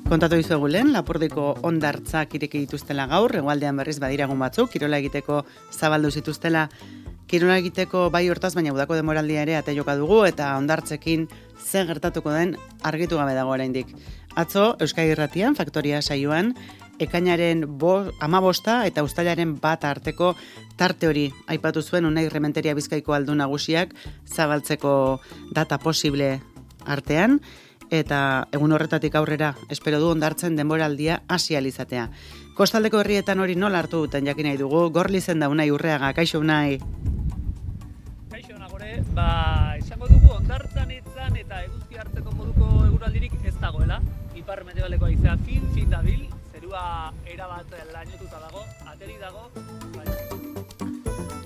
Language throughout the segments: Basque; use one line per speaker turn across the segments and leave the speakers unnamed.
Kontatu dizuegu lehen, Lapurdiko hondartzak ireki dituztela gaur, hegoaldean berriz badiragun batzuk, kirola egiteko zabaldu zituztela. Kirola egiteko bai hortaz, baina udako demoraldia ere ate joka dugu, eta hondartzekin ze gertatuko den argitu gabe dago oraindik. Atzo, Euskadi Irratian, Faktoria saioan, ekainaren 15 eta uztailaren 1 arteko tarte hori aipatu zuen Unai Rementeria Bizkaiko aldun nagusiak zabaltzeko data posible artean, eta egun horretatik aurrera espero du hondartzen denboraldia hasi alizatea. Kostaldeko herrietan hori nola hartu duten jakin nahi dugu, Gorlizen da Unai Urreaga, kaixo Unai.
Kaixo Nagore, esango dugu hondartzan itzan eta eguzki hartzeko moduko eguraldirik ez dagoela. Ipar mendebaldeko haizea fin dabil, zerua erabat lainotuta dago, ateri dago.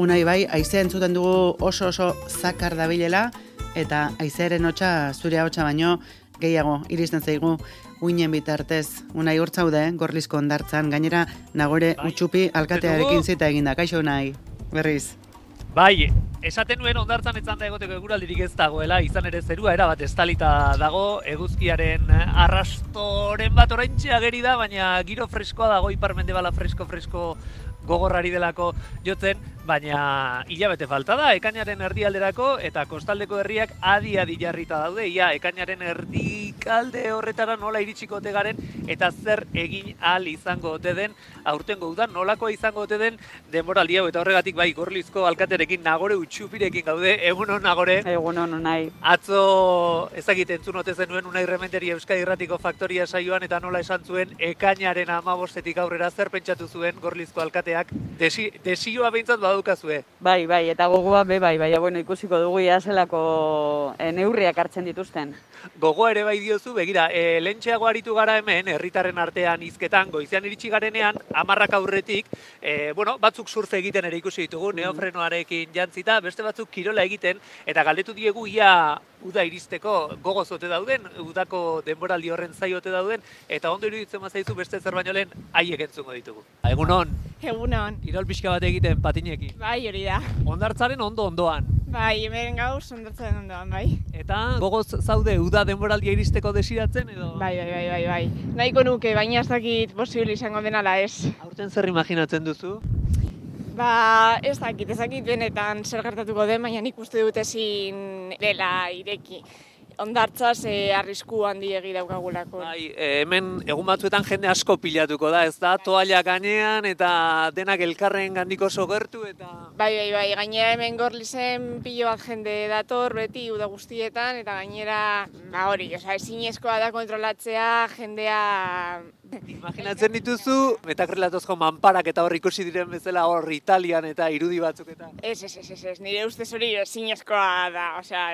Unai bai, haizea entzuten dugu oso zakar dabilela, eta haizearen hotsa zure ahotsa baino gehiago iristen zaigu uinen bitartez. Unai hortzaude, Gorlizko hondartzan, gainera Nagore Utxupi alkatearekin zita eginda. Kaixo Unai, berriz.
Bai, esaten nuen hondartzan etzan da egoteko eguraldirik ez dagoela, izan ere zerua erabat estalita dago, eguzkiaren arrastoren bat oraintxe ageri da, baina giro freskoa dago, ipar mendebala fresko gogorrari delako jotzen, baina hilabete falta da, ekainaren erdialderako eta kostaldeko herriak adi jarrita daude, ia ekainaren erdikalde horretara nola iritsiko ote garen eta zer egin ahal izango ote den, aurtengo udan nolakoa izango ote den denboraldi hau, eta horregatik bai Gorlizko alkaterekin Nagore Utxupirekin gaude. Egunon Nagore.
Egunon Unai.
Atzo ezagite entzun ote zenuen Unai Rementeria Euskadi Irratiko Faktoria saioan eta nola esan zuen ekainaren 15etik aurrera zer pentsatu zuen Gorlizko alkateak. Desioa behintzat badukazue.
Bai, eta gogoa bai, bueno, ikusiko dugu ia zelako neurriak hartzen dituzten.
Gogoa ere bai diozu, begira, lehentxeago aritu gara hemen, herritarren artean hizketan, goizean iritsi garenean, 10 aurretik, batzuk surfe egiten ere ikusi ditugu, neofrenoarekin jantzita, beste batzuk kirola egiten, eta galdetu diegu ia uda iristeko gogoz ote dauden, udako denboraldi horren zai ote dauden, eta ondo iruditzen bazaizu beste zer baino lehen haiek entzungo ditugu. Egunon.
Egunon.
Kirol pixka bat egiten patinekin.
Bai, hori da.
Hondartzaren ondoan.
Bai, hemen gauz hondartzaren ondoan, bai.
Eta gogoz zaude uda denboraldia iristeko desiratzen edo?
Bai. Nahiko nuke, baina ez dakit posible izango denala ez.
Aurten zer imaginatzen duzu?
Ez dakit benetan zer gertatuko den, baina nik uste dut ezin dela ireki. Hondartzaz arrisku handiegi daukagulako.
Bai, hemen egun batzuetan jende asko pilatuko da, ez da? Toalla gainean eta denak elkarren gandiko sogertu eta...
Bai, gainera hemen Gorlizen pilo bat jende dator beti uda guztietan, eta gainera, ezinezkoa da kontrolatzea jendea...
Imaginatzen dituzu, metakrelatosko manparak eta hor ikusi diren bezala hor Italian eta irudi batzuk eta...
Ez, nire ustez hori ezinezkoa da,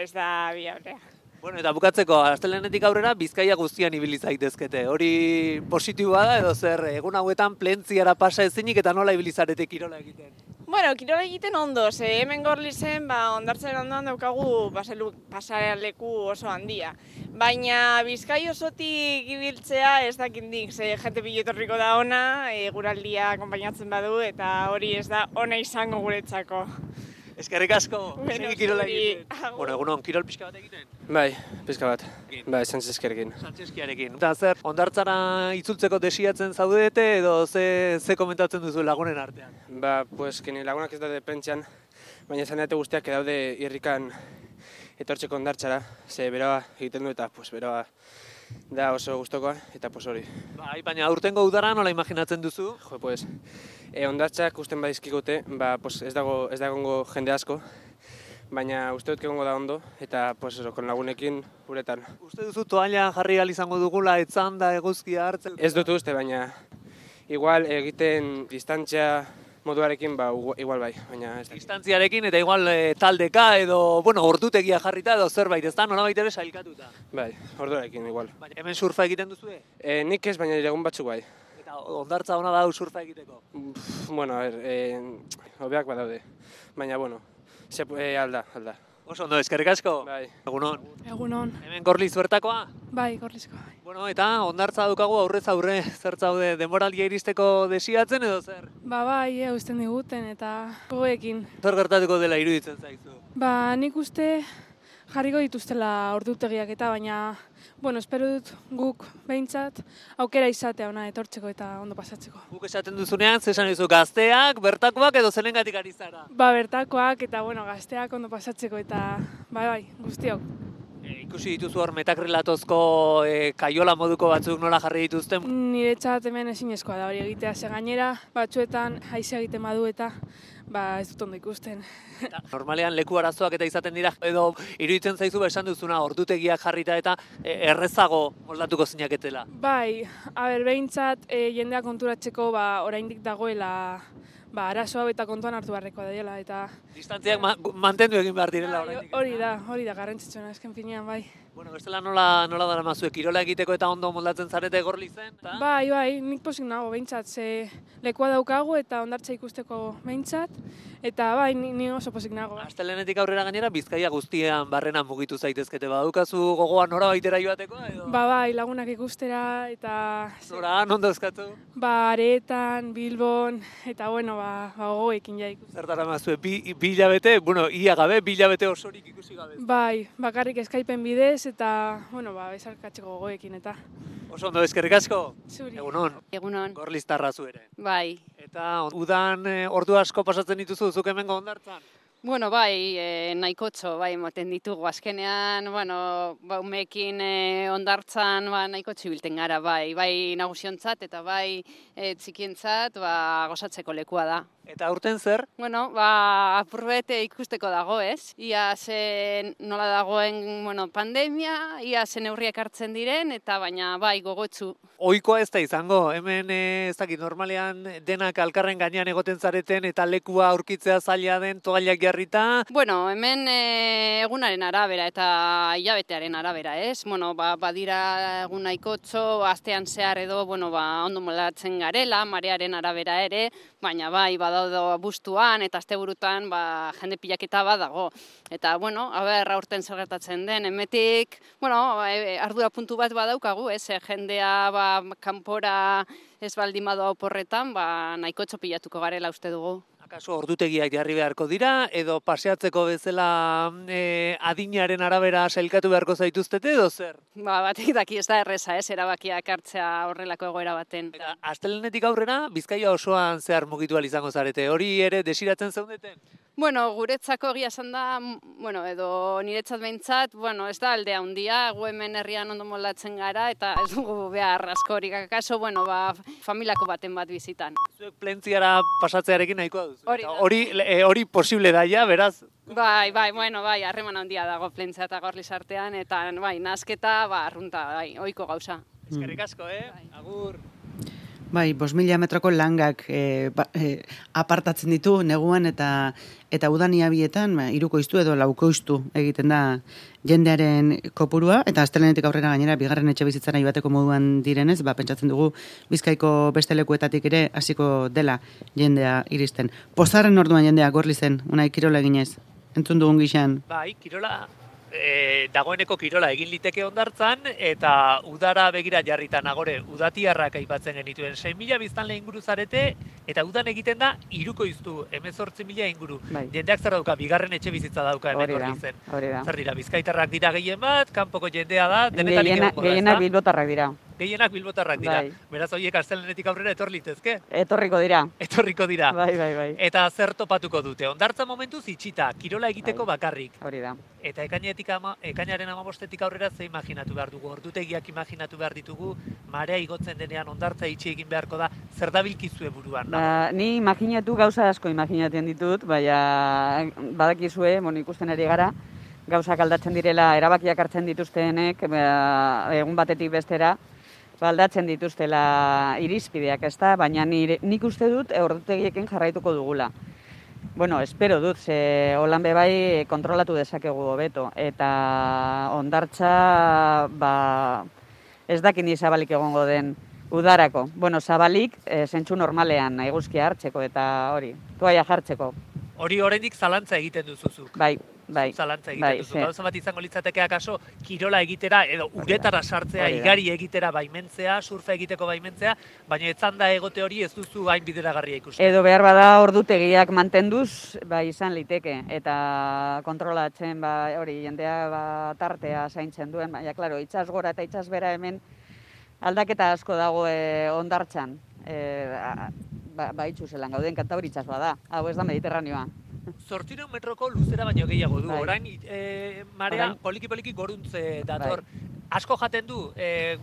ez da biablea.
Bueno, eta bukatzeko, astelehenetik aurrera Bizkaia guztian ibili zaitezkete. Hori positiboa da edo zer, egun hauetan plentziara pasa ezinik eta nola ibili zarete kirola egiten?
Bueno, kirola egiten ondo, hemen Gorlizen, hondartzaren ondoan daukagu pasaleku oso handia. Baina Bizkai osotik ibiltzea ez dakindik, jente pilotorriko da ona, eguraldia konpainatzen badu eta hori ez da ona izango guretzako.
Eskerrik asko, segi kirola egiten. Egunon, kirol pixka bat egiten?
Bai, pixka bat. Bai, Sancheskiarekin.
Eta zer, hondartzara itzultzeko desiatzen zaudete edo ze komentatzen duzu lagunen artean?
Kini lagunak ez daude pentsan, baina zanete guztiak daude irrikan etortzeko hondartzara, ze beroa egiten du eta beroa da oso gustokoa eta hori.
Bai, baina aurtengo udara nola imaginatzen duzu?
Hondartzak usten badizkigute, ez dago jende asko, baina uste dut egongo da ondo, eta kon lagunekin uretan.
Uste duzu toalla jarri ahal izango dugula, etzan da eguzkia hartzen?
Ez dut uste, baina igual egiten distantzia moduarekin, igual bai, baina ez da.
Distantziarekin eta igual taldeka edo, ordutegia jarrita edo zerbait, ez da, nolabait ere sailkatuta?
Bai, orduarekin igual.
Baina hemen surfa egiten duzue?
Nik ez, baina egun batzuk bai.
Eta hondartza ona da surfa egiteko?
Hobeak badaude, baina, alda.
Oso ondo, eskerrik asko.
Bai.
Egunon.
Egunon.
Hemen Gorliz bertakoa?
Bai, Gorlizkoa.
Bueno, eta hondartza dukagu aurrez aurre, zer zaude denboraldia iristeko desiatzen edo zer?
Bai, uzten diguten eta gogoekin.
Zer gertatuko dela iruditzen zaizu?
Nik uste jarriko dituztela ordutegiak eta baina Bueno, espero dut guk behintzat aukera izatea ona etortzeko eta ondo pasatzeko.
Guk esaten duzunean, zesan duzu gazteak, bertakoak edo zenengatik ari zara?
Bertakoak eta gazteak ondo pasatzeko eta bai, guztiok.
Ikusi dituzu hor metakrilatozko kaiola moduko batzuk nola jarri dituzten?
Niretzat hemen ezinezkoa da hori egitea, ze gainera batzuetan haizea egiten badu eta ez dut ondo ikusten.
Normalean leku arazoak eta izaten dira, edo iruditzen zaizu esan duzuna ordutegiak jarrita eta errezago moldatuko zinaketela?
Bai, behintzat jendea konturatzeko oraindik dagoela arazoa eta kontuan hartu beharrekoa dela eta...
Distantziak mantendu egin behar direla oraindik.
Hori da, garrantzitsuena, azken finean, bai.
Bueno, bestela nola daramazue, kirola egiteko eta ondo moldatzen zarete Gorlizen?
Bai, nik pozik nago behintzat, ze lekua daukagu eta hondartza ikusteko behintzat, eta bai, ni oso pozik nago.
Astelehenetik aurrera gainera, Bizkaia guztian barrena mugitu zaitezkete, badukazu gogoa nora baitera joateko? Edo?
Bai, lagunak ikustera, eta...
Nora, non dauzkatu?
Aretan, Bilbon, eta gogoekin ja ikusten.
Zer daramazue, bi hilabete, ia gabe, bi hilabete osorik ikusi gabe?
Bai, bakarrik Skypen bidez, eta, bezarkatzeko gogoekin, eta...
Oso ondo, eskerrik asko?
Zuri.
Egunon.
Egunon.
Gorliztarra zu ere.
Bai.
Eta udan ordu asko pasatzen dituzu, zuk hemengo hondartzan?
Bueno, bai, nahikotxo, bai, moten ditugu. Azkenean, umeekin hondartzan nahikotxo ibilten gara, bai nagusiontzat eta bai txikientzat gozatzeko lekua da.
Eta aurten zer?
Bueno, apurbet ikusteko dago, ez? Ia zen nola dagoen pandemia, ia zen neurriak hartzen diren, eta baina bai gogotsu.
Ohikoa ez da izango, hemen ez dakit normalean denak alkarren gainean egoten zareten eta lekua aurkitzea zaila den toallak jarrita.
Bueno, hemen egunaren arabera eta hilabetearen arabera, ez? Badira egun nahikotxo, astean zehar edo, ondo moldatzen garela, marearen arabera ere, baina bai, badaude bustuan eta asteburutan jende pilaketa dago. Eta, aurten zer gertatzen den, emetik, ardura puntu bat badaukagu, ez? Jendea kanpora ez baldin badoa oporretan, nahikotxo pilatuko garela uste dugu.
Akaso ordutegiak jarri beharko dira, edo paseatzeko bezala adinaren arabera sailkatu beharko zaituztete edo zer?
Batek daki ez da erreza, ez, erabakiak hartzea horrelako egoera baten.
Eta astelehenetik aurrera, Bizkaia osoan zehar mugitu ahal izango zarete, hori ere desiratzen zeundeten?
Guretzako egia esan da, edo niretzat behintzat, ez da aldea handia, gu hemen herrian ondo moldatzen gara, eta ez dugu behar askorik, akaso, familiako baten bat bizitan.
Zuek plentziara pasatzearekin nahikoa duzu?
Hori
posible da ja, beraz?
Bai, harreman handia dago plentzia eta Gorliz artean, eta nasketa, arrunta, ohiko gauza.
Eskerrik asko, Agur!
Bai, 5.000 metroko langak apartatzen ditu neguan eta udania bietan hirukoiztu edo laukoiztu egiten da jendearen kopurua eta astelehenetik aurrera gainera bigarren etxebizitzara joateko moduan direnez, pentsatzen dugu Bizkaiko beste lekuetatik ere hasiko dela jendea iristen. Pozarren orduan jendea Gorlizen, unai kirola eginez. Entzun dugun gixan.
Bai, kirola dagoeneko kirola egin liteke hondartzan eta udara begira jarrita nagore udatiarrak aipatzen genituen 6.000 biztanle inguru zarete eta udan egiten da hirukoiztu 18.000 inguru. Jendeak zer dauka, bigarren etxe bizitza dauka hemen Gorlizen. Zer dira, bizkaitarrak dira gehien bat, kanpoko jendea da, denetarik egongo da.
Gehienak bilbotarrak dira.
Gehienak bilbotarrak dira. Beraz horiek astelehenetik aurrera etor litezke?
Etorriko dira.
Etorriko dira.
Bai.
Eta zer topatuko dute? Hondartza momentuz itxita, kirola egiteko bakarrik.
Hori da.
Eta ekainaren 15etik aurrera ze imaginatu behar dugu? Ordutegiak imaginatu behar ditugu, marea igotzen denean hondartza itxi egin beharko da, zer dabilkizue buruan?
Ni imaginatu gauza asko imaginatzen ditut, baina badakizue, ikusten ari gara, gauzak aldatzen direla, erabakiak hartzen dituztenek, egun batetik bestera, aldatzen dituztela irizpideak, ezta, baina nik uste dut ordutegiekin jarraituko dugula. Espero dut, ze holan bai kontrolatu dezakegu hobeto, eta hondartza ez dakin zabalik egongo den udarako. Zabalik, zentsu normalean, eguzkia hartzeko eta hori, toaia jartzeko.
Hori oraindik zalantza egiten duzuzu.
Bai.
zalantza egiten duzu. Gauza bat izango litzateke akaso kirola egitera edo uretara sartzea, igari egitera baimentzea, surfa egiteko baimentzea, baina etzanda egote hori ez duzu hain bideragarria ikusten.
Edo behar bada ordutegiak mantenduz, izan liteke, eta kontrolatzen, hori, jendea tartea zaintzen duen, baina, klaro, itsas gora eta itsas bera hemen aldaketa asko dago hondartzan. Itxu zelan gauden, Kantauri itsasoa da, hau ez da Mediterraneoa.
800 metroko luzera baino gehiago du, orain marea poliki-poliki goruntze dator. Asko jaten du,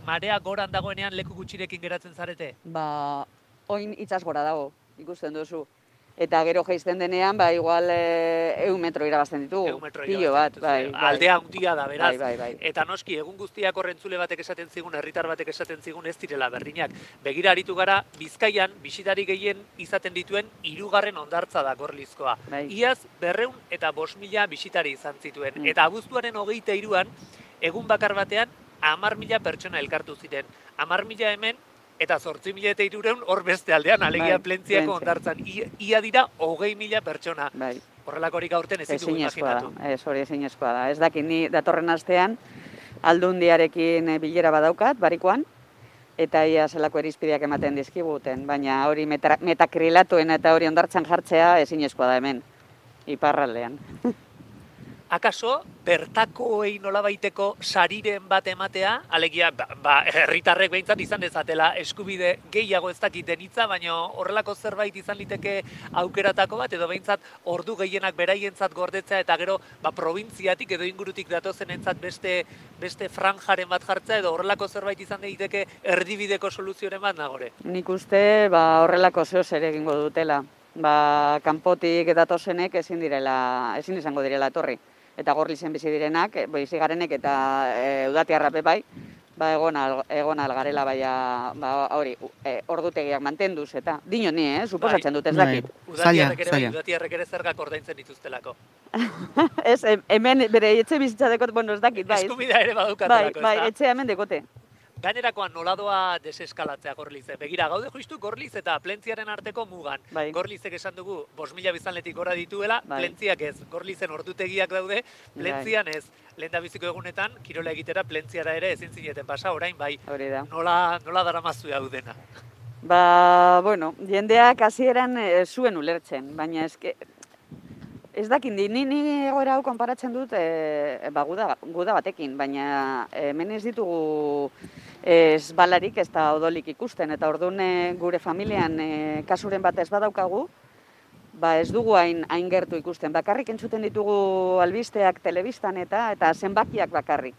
marea goran dagoenean leku gutxirekin geratzen zarete?
Oin itsas gora dago, ikusten duzu. Eta gero jaisten denean, igual 100 metro irabazten ditugu. Pilo bat,
aldea handia da, beraz.
Bai.
Eta noski, egun guztiak horrentzule batek esaten zigun, herritar batek esaten zigun ez direla berdinak. Begira aritu gara, Bizkaian, bisitari gehien izaten dituen 3. hondartza da Gorlizkoa. Iaz, 205.000 bisitari izan zituen. Eta abuztuaren 23an, egun bakar batean, 10.000 pertsona elkartu ziren. 10.000 hemen, eta 8.300 hor beste aldean, alegia Plentziako hondartzan. Ia dira 20.000 pertsona. Horrelakorik aurten ez ditugu imaginatu.
Hori ezinezkoa da. Ez dakit, ni datorren astean Aldundiarekin bilera badaukat, barikoan, eta ia zelako irizpideak ematen dizkiguten, baina hori metakrilatuen eta hori hondartzan jartzea ezinezkoa da hemen, iparraldean.
Akaso, bertakoei nolabaiteko sariren bat ematea, alegia, herritarrek behintzat izan dezatela eskubide gehiago ez dakiten hitza, baina horrelako zerbait izan liteke aukeratako bat, edo behintzat ordu gehienak beraientzat gordetzea, eta gero probintziatik edo ingurutik datozenentzat beste franjaren bat jartzea, edo horrelako zerbait izan daiteke erdibideko soluzioren bat nagore.
Nik uste horrelako zehoz ere egingo dutela. Kanpotik datozenek ezin izango direla etorri. Eta Gorlizen bizi direnak, bizi garenek eta udatiarrape bai, egon algarela hori, ordutegiak mantenduz eta dino ni, suposatzen dut ez dakit.
Udatiarrek ere zergak ordaintzen dituztelako.
Ez, hemen bere etxe bizitza dekot, ez dakit, bai.
Eskubidea ere badukatelako,
bai, etxe hemen dekote.
Gainerakoan noladoa deseskalatzea Gorlize. Begira, gaude justu Gorliz eta Plentziaren arteko mugan. Gorlizek esan dugu 5.000 biztanletik gora dituela, Plentziak ez. Gorlizen ordutegiak daude, Plentzian ez. Lehendabiziko egunetan, kirola egitera Plentziara ere ezin zineten pasa, orain bai. Nola daramazu hau dena?
Jendeak hasieran zuen ulertzen, baina ez dakit, ni egoera hau konparatzen dut guda batekin, baina hemen ez ditugu ez balarik ez da odolik ikusten, eta orduan gure familian kasuren bat ez badaukagu, ez dugu hain gertu ikusten. Bakarrik entzuten ditugu albisteak telebistan eta zenbakiak bakarrik.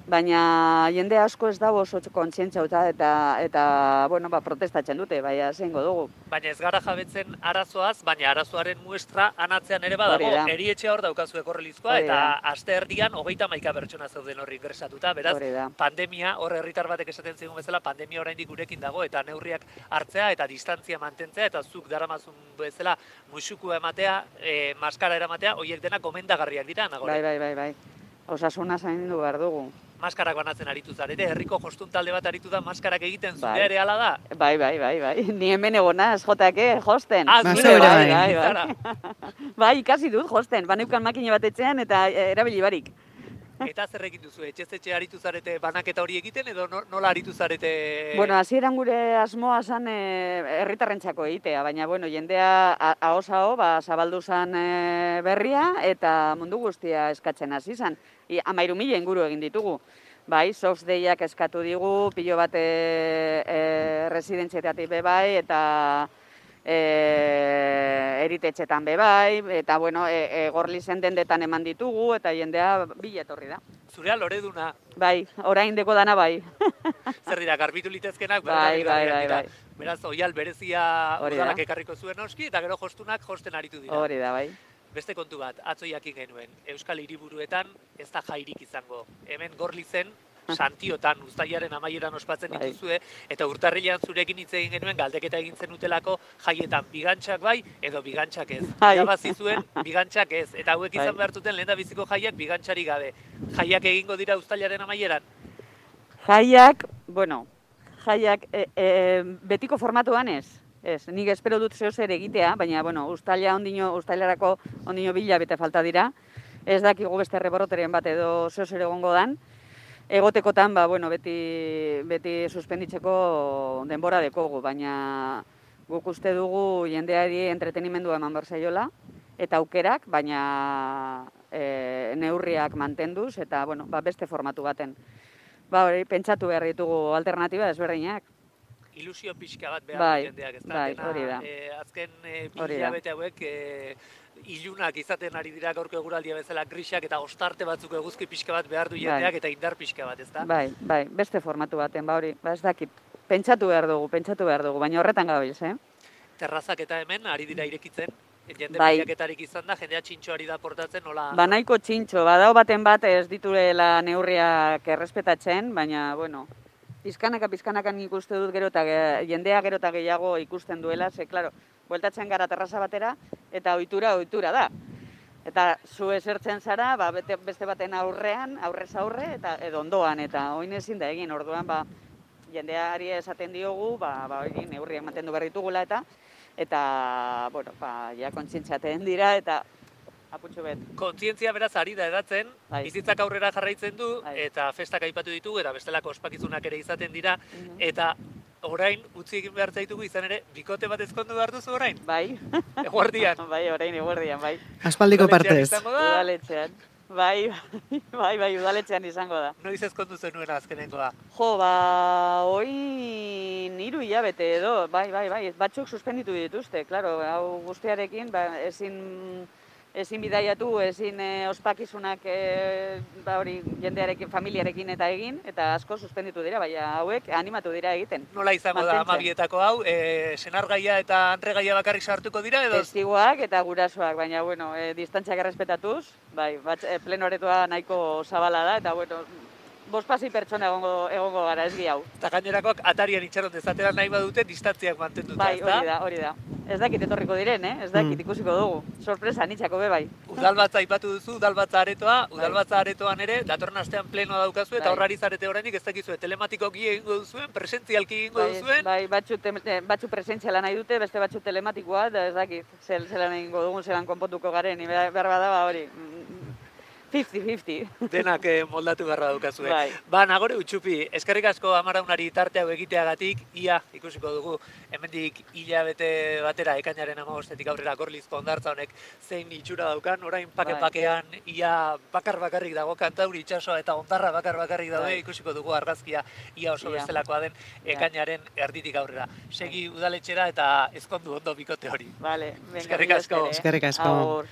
Baina jende asko ez dago oso kontzientzia eta protestatzen dute, zeingo dugu.
Baina ez gara jabetzen arazoaz, baina arazoaren muestra anatzean ere badago. Erietxea hor daukazue Gorlizkoa eta aste erdian 31 pertsona zeuden horri ingresatuta. Beraz, pandemia, hor herritar batek esaten zigun bezala, pandemia oraindik gurekin dago eta neurriak hartzea eta distantzia mantentzea eta zuk daramazun bezala muxukua ematea, maskara eramatea, horiek denak gomendagarriak dira, nagore?
Bai. Osasuna zaindu behar dugu.
Maskarak banatzen aritu zarete, herriko jostun talde bat aritu da maskarak egiten, zure ere ala da?
Bai. Ni hemen egonaz, josten. Bai, ikasi dut josten, baneukan makine bat etxean eta erabili barik.
Eta zer egin duzu, etxe aritu zarete banaketa hori egiten edo nola aritu zarete?
Hasieran gure asmoa zan herritarrentzako egitea, baina jendea ahoz-aho zabaldu zan berria eta mundu guztia eskatzen hasi zan. 13.000 inguru egin ditugu. Bai, Soft Dayak eskatu digu, pilo bat residentzietatik bebai eta eritetxetan bebai, eta Gorlizen dendetan eman ditugu eta jendea bila etorri da.
Zurea loreduna.
Bai, orain deko dana bai.
Zer dira, garbitu litezkenak?
Bai.
Beraz, oial berezia udalak ekarriko zuen oski eta gero jostunak josten aritu dira.
Hori da, bai.
Beste kontu bat, atzo jakin genuen, Euskal Hiriburuetan ez da jairik izango. Hemen Gorlizen, Santiotan, uztailaren amaieran ospatzen dituzue, eta urtarrilean zurekin hitz egin genuen galdeketa egin zenutelako jaietan bigantxak bai, edo bigantxak ez. Irabazi zuen bigantxak ez, eta hauek izan behartuten lehendabiziko jaiak bigantxari gabe. Jaiak egingo dira uztailaren amaieran?
Jaiak betiko formatuan ez. Ez, nik espero dut zehoz ere egitea, baina, uztailarako ondino bila bete falta dira. Ez dakigu beste reboroteren bat edo zer egongo dan. Egotekotan, bueno, beti suspenditzeko denbora dekogu, baina guk uste dugu jendeari entretenimendua eman behar zaiola, eta aukerak, baina neurriak mantenduz, eta bueno, beste formatu baten. Hori, pentsatu behar ditugu alternatiba ezberdinak.
Ilusio pixka bat behar jendeak, ez da?
Bai, hori da.
Azken bi hilabete hauek ilunak izaten ari dira gaurko eguraldia bezala grisak eta ostarte batzuk eguzki pixka bat behar du jendeak eta indar pixka bat, ez da?
Bai, beste formatu baten, hori, ez dakit. Pentsatu behar dugu, baina horretan gabiz,
Terrazak eta hemen ari dira irekitzen, jende pilaketarik izan da, jendea txintxoari da portatzen, nola?
Nahiko txintxo, badao baten bat ez dituela neurriak errespetatzen, baina, bueno, pizkanaka nik uste dut jendea gero eta gehiago ikusten duela, ze, klaro, bueltatzen gara terraza batera, eta ohitura da. Eta zu esertzen zara, beste baten aurrez aurre, eta edo ondoan, eta oin ezin da egin, orduan, jendeari esaten diogu, hori neurriak mantendu behar ditugula, eta, bueno, ja kontzientziatzen dira, eta aputxo bet.
Kontzientzia beraz ari da edatzen, bizitzak aurrera jarraitzen du, eta festak aipatu ditugu, eta bestelako ospakizunak ere izaten dira, eta orain, utzi egin behar zaitugu izan ere, bikote bat ezkondu behar duzu orain?
Bai.
Eguerdian?
Bai, orain eguerdian, bai.
Aspaldiko partez.
Udaletxean. Bai, udaletxean izango da.
Noiz ezkondu zenuen azkenengoa?
Oin 3 hilabete edo, bai, batzuk suspenditu dituzte, klaro, hau guztiarekin, ezin bidaiatu, ezin ospakizunak jendearekin, familiarekin eta egin, eta asko suspenditu dira, baina hauek animatu dira egiten.
Nola izango da amabietako hau, senargaia eta andregaia bakarrik sartuko dira edo?
Testiguak eta gurasoak, baina, bueno, distantziak errespetatuz, bai, pleno aretoa nahiko zabala da, eta, bueno, 5 pertsona egongo gara, ez hau.
Eta gainerakoak atarian itxaron dezatera nahi badute, distantziak mantenduta, ez da?
Bai, hori da. Ez dakit etorriko diren, ez dakit ikusiko dugu. Sorpresa, nitxako bai.
Udalbatza aipatu duzu, udalbatza aretoan ere, datorren astean plenoa daukazu, eta horrari zarete oraindik ez dakizue, telematikoki egingo duzuen, presentzialki egingo duzuen?
Bai, batzu presentziala nahi dute, beste batzu telematikoa, eta ez dakit, zelan egingo dugun, zelan konpontuko garen, behar bada, hori, 50-50.
Denak moldatu beharra daukazue. Nagore Utxupi, eskerrik asko Amaraunari tarte hau egiteagatik, ia ikusiko dugu, hemendik hilabete batera, ekainaren 15-etik aurrera Gorlizko hondartza honek zein itxura daukan, orain pake-pakean ia bakarrik dago Kantauri itsasoa eta hondarra bakarrik daude, ikusiko dugu argazkia ia oso bestelakoa den ekainaren erditik aurrera. Segi udaletxera eta ezkondu ondo bikote hori.
Eskerrik asko.
Eskerrik asko.